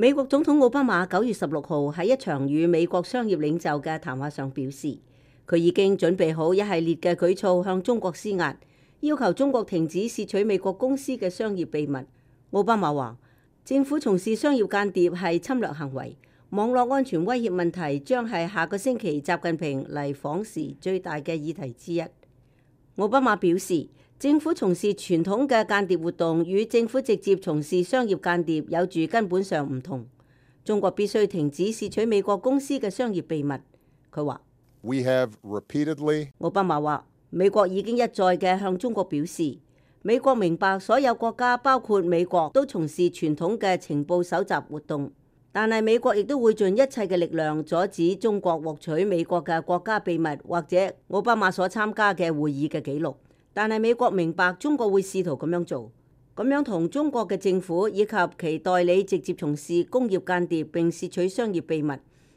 美國總統奧巴馬9月16號喺一場與美國商業領袖嘅談話上表示，佢已經準備好一系列嘅舉措向中國施壓，要求中國停止竊取美國公司嘅商業秘密。奧巴馬話，政府從事商業間諜係侵略行為，網絡安全威脅問題將係下個星期習近平嚟訪時最大嘅議題之一。奧巴馬表示，政府從事傳統嘅間諜活動與政府直接從事商業間諜有住根本上唔同。中國必須停止竊取美國公司嘅商業秘密。佢話，奧巴馬話，美國已經一再嘅向中國表示，美國明白所有國家包括美國都從事傳統嘅情報搜集活動，但係美國亦都會盡一切嘅力量阻止中國獲取美國嘅國家秘密或者奧巴馬所參加嘅會議嘅記錄。但係美國明白中國會試圖咁樣做，咁樣同中國嘅政府以及其代理直接從事工業間諜並竊取商業秘密，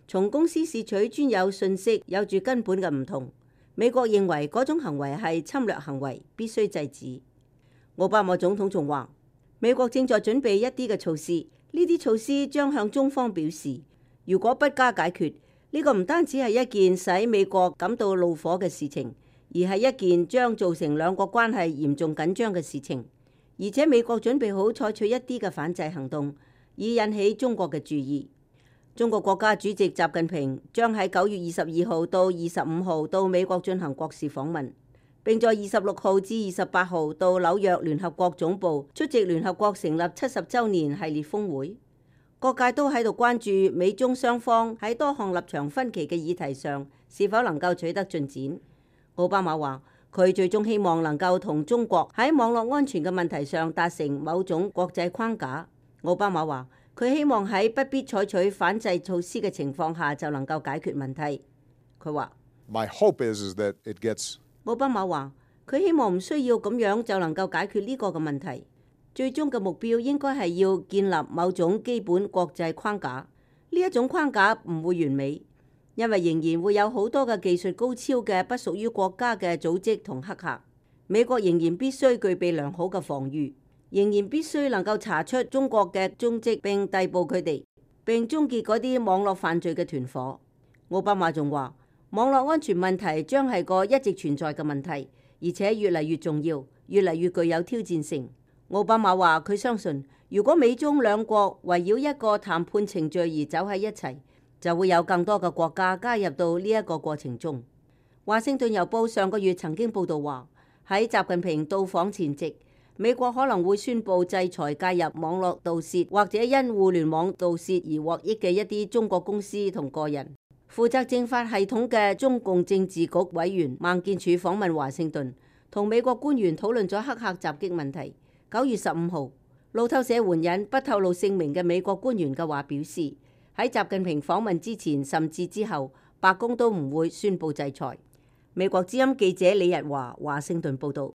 從公司竊取專有信息有住根本嘅唔同。美國認為嗰種行為係侵略行為，必須制止。奧巴馬總統仲話，美國正在準備一啲嘅措施，呢啲措施將向中方表示，如果不加解決，呢個唔單止係一件使美國感到怒火嘅事情，而係一件將造成兩國關係嚴重緊張嘅事情，而且美國準備好採取一啲嘅反制行動，以引起中國嘅注意。中國國家主席習近平將喺9月22號到25號到美國進行國事訪問，並在26號至28號到紐約聯合國總部出席聯合國成立70週年系列峰會。各界都喺度關注美中雙方喺多項立場分歧嘅議題上是否能夠取得進展。奧巴馬話，佢最終希望能夠同中國喺網絡安全嘅問題上達成某種國際框架。奧巴馬話，佢希望喺不必採取反制措施嘅情況下就能夠解決問題。佢話，奧巴馬話，佢希望唔需要咁樣就能夠解決呢個嘅問題。最終嘅目標應該係要建立某種基本國際框架。呢一種框架唔會完美，因為仍然會有好多嘅技術高超嘅不屬於國家嘅組織同黑客。美國仍然必須具備良好嘅防禦，仍然必須能夠查出中國嘅蹤跡並逮捕佢哋，並終結嗰啲網絡犯罪嘅團夥。奧巴馬仲話，網絡安全問題將係個一直存在嘅問題，而且越嚟越重要，越嚟越具有挑戰性。奧巴馬話，佢相信如果美中兩國圍繞一個談判程序而走喺一齊，就會有更多嘅國家加入到呢一個過程中。華盛頓郵報上個月曾經報道話，喺習近平到訪前夕，美國可能會宣布制裁介入網絡盜竊或者因互聯網盜竊而獲益嘅一啲中國公司同個人。負責政法系統嘅中共政治局委員孟建柱訪問華盛頓，同美國官員討論咗黑客襲擊問題。9月15號，路透社援引不透露姓名嘅美國官員嘅話表示，喺習近平訪問之前甚至之後，白宮都唔會宣布制裁。美國之音記者李日華華盛頓報道。